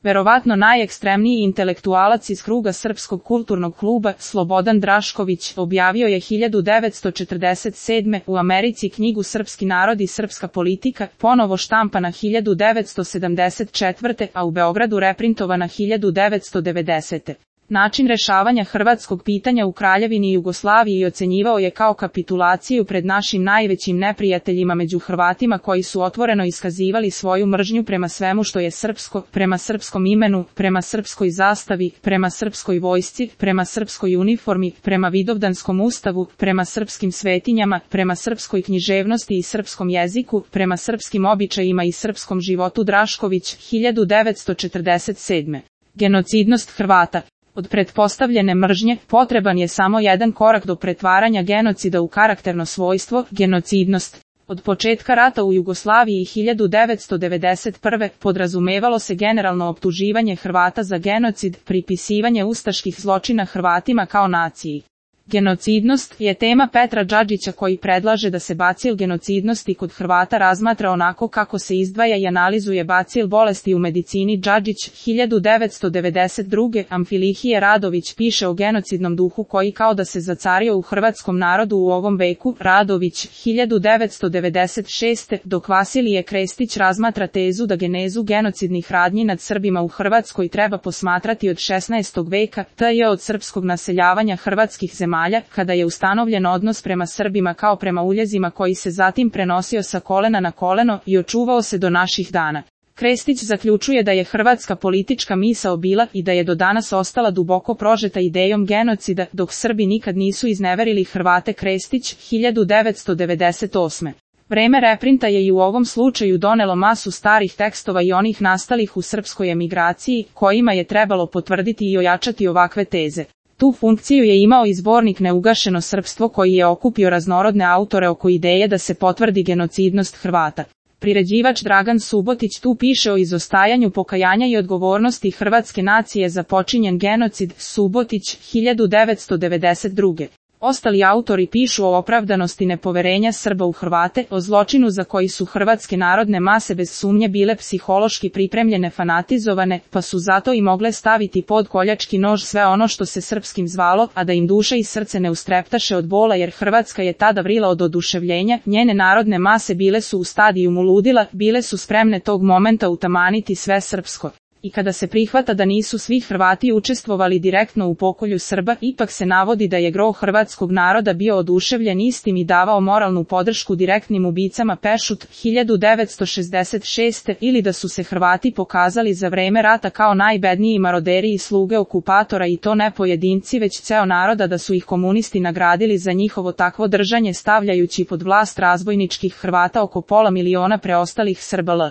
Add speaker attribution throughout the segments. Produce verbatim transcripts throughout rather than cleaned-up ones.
Speaker 1: Verovatno najekstremniji intelektualac iz kruga Srpskog kulturnog kluba, Slobodan Drašković, objavio je hiljadu devetsto četrdeset sedme. u Americi knjigu Srpski narod i srpska politika, ponovo štampana hiljadu devetsto sedamdeset četvrte. a u Beogradu reprintovana hiljadu devetsto devedesete. Način rešavanja hrvatskog pitanja u Kraljevini Jugoslaviji ocenjivao je kao kapitulaciju pred našim najvećim neprijateljima među Hrvatima koji su otvoreno iskazivali svoju mržnju prema svemu što je srpsko, prema srpskom imenu, prema srpskoj zastavi, prema srpskoj vojsci, prema srpskoj uniformi, prema Vidovdanskom ustavu, prema srpskim svetinjama, prema srpskoj književnosti i srpskom jeziku, prema srpskim običajima i srpskom životu. Drašković, hiljadu devetsto četrdeset sedme. Genocidnost Hrvata. Od pretpostavljene mržnje, potreban je samo jedan korak do pretvaranja genocida u karakterno svojstvo, genocidnost. Od početka rata u Jugoslaviji hiljadu devetsto devedeset prve. podrazumevalo se generalno optuživanje Hrvata za genocid, pripisivanje ustaških zločina Hrvatima kao naciji. Genocidnost je tema Petra Džadžića koji predlaže da se bacil genocidnosti kod Hrvata razmatra onako kako se izdvaja i analizuje bacil bolesti u medicini. Džadžić, hiljadu devetsto devedeset druge. Amfilihije Radović piše o genocidnom duhu koji kao da se zacario u hrvatskom narodu u ovom veku. Radović, hiljadu devetsto devedeset šeste. dok Vasilije Krestić razmatra tezu da genezu genocidnih radnji nad Srbima u Hrvatskoj treba posmatrati od šesnaestog veka, to je od srpskog naseljavanja hrvatskih zemalja, kada je ustanovljen odnos prema Srbima kao prema uljezima koji se zatim prenosio sa kolena na koleno i očuvao se do naših dana. Krestić zaključuje da je hrvatska politička misao bila i da je do danas ostala duboko prožeta idejom genocida, dok Srbi nikad nisu izneverili Hrvate. Krestić, hiljadu devetsto devedeset osme. Vreme reprinta je i u ovom slučaju donelo masu starih tekstova i onih nastalih u srpskoj emigraciji, kojima je trebalo potvrditi i ojačati ovakve teze. Tu funkciju je imao i zbornik Neugašeno srpstvo koji je okupio raznorodne autore oko ideje da se potvrdi genocidnost Hrvata. Priređivač Dragan Subotić tu piše o izostajanju pokajanja i odgovornosti hrvatske nacije za počinjen genocid. Subotić, hiljadu devetsto devedeset druge. Ostali autori pišu o opravdanosti nepoverenja Srba u Hrvate, o zločinu za koji su hrvatske narodne mase bez sumnje bile psihološki pripremljene, fanatizovane, pa su zato i mogle staviti pod koljački nož sve ono što se srpskim zvalo, a da im duša i srce ne ustreptaše od bola jer Hrvatska je tada vrila od oduševljenja, njene narodne mase bile su u stadijumu ludila, bile su spremne tog momenta utamaniti sve srpsko. I kada se prihvata da nisu svi Hrvati učestvovali direktno u pokolju Srba, ipak se navodi da je gro hrvatskog naroda bio oduševljen istim i davao moralnu podršku direktnim ubicama. Pešut, hiljadu devetsto šezdeset šeste. ili da su se Hrvati pokazali za vreme rata kao najbedniji maroderi i sluge okupatora i to ne pojedinci već ceo naroda, da su ih komunisti nagradili za njihovo takvo držanje stavljajući pod vlast razbojničkih Hrvata oko pola miliona preostalih Srba. L.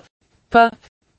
Speaker 1: P.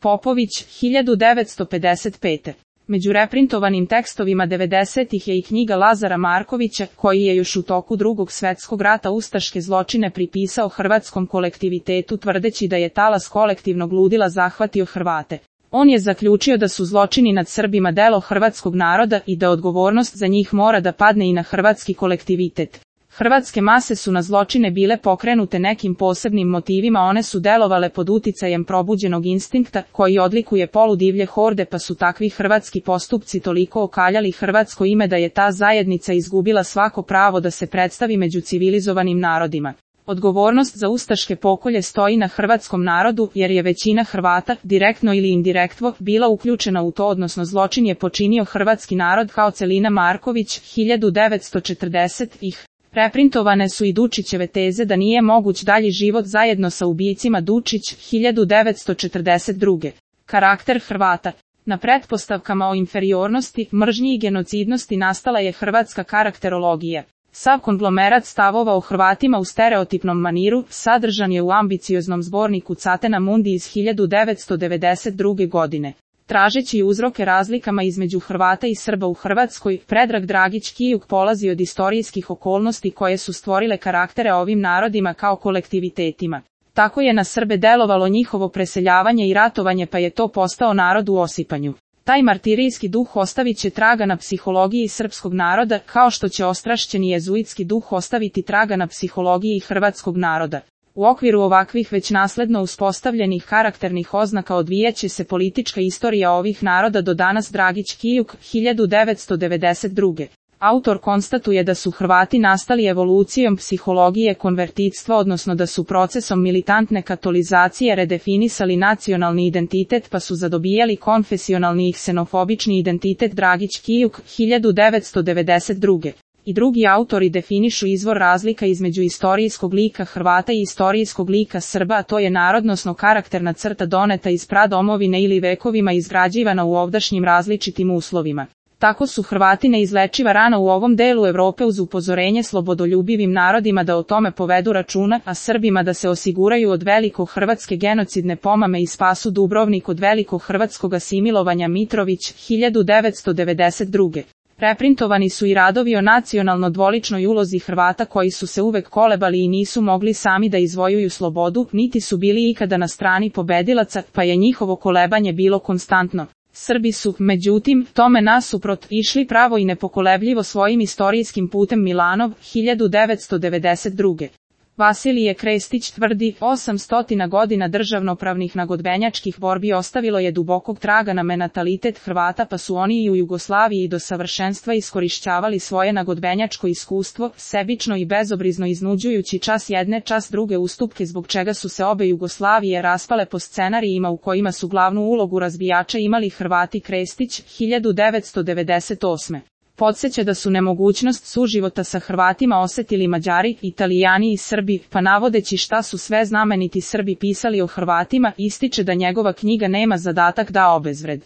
Speaker 1: Popović, hiljadu devetsto pedeset pete. Među reprintovanim tekstovima devedesetih je i knjiga Lazara Markovića, koji je još u toku Drugog svetskog rata ustaške zločine pripisao hrvatskom kolektivitetu tvrdeći da je talas kolektivnog ludila zahvatio Hrvate. On je zaključio da su zločini nad Srbima delo hrvatskog naroda i da odgovornost za njih mora da padne i na hrvatski kolektivitet. Hrvatske mase su na zločine bile pokrenute nekim posebnim motivima, one su delovale pod uticajem probuđenog instinkta koji odlikuje poludivlje horde, pa su takvi hrvatski postupci toliko okaljali hrvatsko ime da je ta zajednica izgubila svako pravo da se predstavi među civilizovanim narodima. Odgovornost za ustaške pokolje stoji na hrvatskom narodu, jer je većina Hrvata, direktno ili indirektno, bila uključena u to, odnosno zločin je počinio hrvatski narod kao celina. Marković, hiljadu devetsto četrdeset ih. Reprintovane su i Dučićeve teze da nije moguć dalji život zajedno sa ubijicima. Dučić, hiljadu devetsto četrdeset druge. Karakter Hrvata. Na pretpostavkama o inferiornosti, mržnji i genocidnosti nastala je hrvatska karakterologija. Sav konglomerat stavova o Hrvatima u stereotipnom maniru sadržan je u ambicioznom zborniku Catena Mundi iz hiljadu devetsto devedeset druge. godine. Tražeći uzroke razlikama između Hrvata i Srba u Hrvatskoj, Predrag Dragić Kijuk polazi od istorijskih okolnosti koje su stvorile karaktere ovim narodima kao kolektivitetima. Tako je na Srbe delovalo njihovo preseljavanje i ratovanje, pa je to postao narod u osipanju. Taj martirijski duh ostavit će traga na psihologiji srpskog naroda, kao što će ostrašćeni jezuitski duh ostaviti traga na psihologiji hrvatskog naroda. U okviru ovakvih već nasledno uspostavljenih karakternih oznaka odvijaće se politička istorija ovih naroda do danas. Dragić Kijuk, hiljadu devetsto devedeset druge. Autor konstatuje da su Hrvati nastali evolucijom psihologije konvertitstva, odnosno da su procesom militantne katolizacije redefinisali nacionalni identitet pa su zadobijali konfesionalni i ksenofobični identitet. Dragić Kijuk, hiljadu devetsto devedeset druge. I drugi autori definišu izvor razlika između istorijskog lika Hrvata i istorijskog lika Srba, a to je narodnosno karakterna crta doneta iz pradomovine ili vekovima izgrađivana u ovdašnjim različitim uslovima. Tako su Hrvati neizlečiva rana u ovom delu Evrope uz upozorenje slobodoljubivim narodima da o tome povedu računa, a Srbima da se osiguraju od veliko hrvatske genocidne pomame i spasu Dubrovnik od veliko hrvatskog asimilovanja. Mitrović, hiljadu devetsto devedeset druge. Reprintovani su i radovi o nacionalno dvoličnoj ulozi Hrvata koji su se uvek kolebali i nisu mogli sami da izvojuju slobodu, niti su bili ikada na strani pobedilaca, pa je njihovo kolebanje bilo konstantno. Srbi su, međutim, tome nasuprot, išli pravo i nepokolebljivo svojim istorijskim putem. Milanov, hiljadu devetsto devedeset druge. Vasilije Krestić tvrdi, osamsto godina državnopravnih nagodbenjačkih borbi ostavilo je dubokog traga na menatalitet Hrvata, pa su oni i u Jugoslaviji do savršenstva iskorišćavali svoje nagodbenjačko iskustvo, sebično i bezobrizno iznuđujući čas jedne čas druge ustupke, zbog čega su se obe Jugoslavije raspale po scenarijima u kojima su glavnu ulogu razbijača imali Hrvati. Krestić, hiljadu devetsto devedeset osme. Podsjeća da su nemogućnost suživota sa Hrvatima osetili Mađari, Italijani i Srbi, pa navodeći šta su sve znameniti Srbi pisali o Hrvatima, ističe da njegova knjiga nema zadatak da obezvred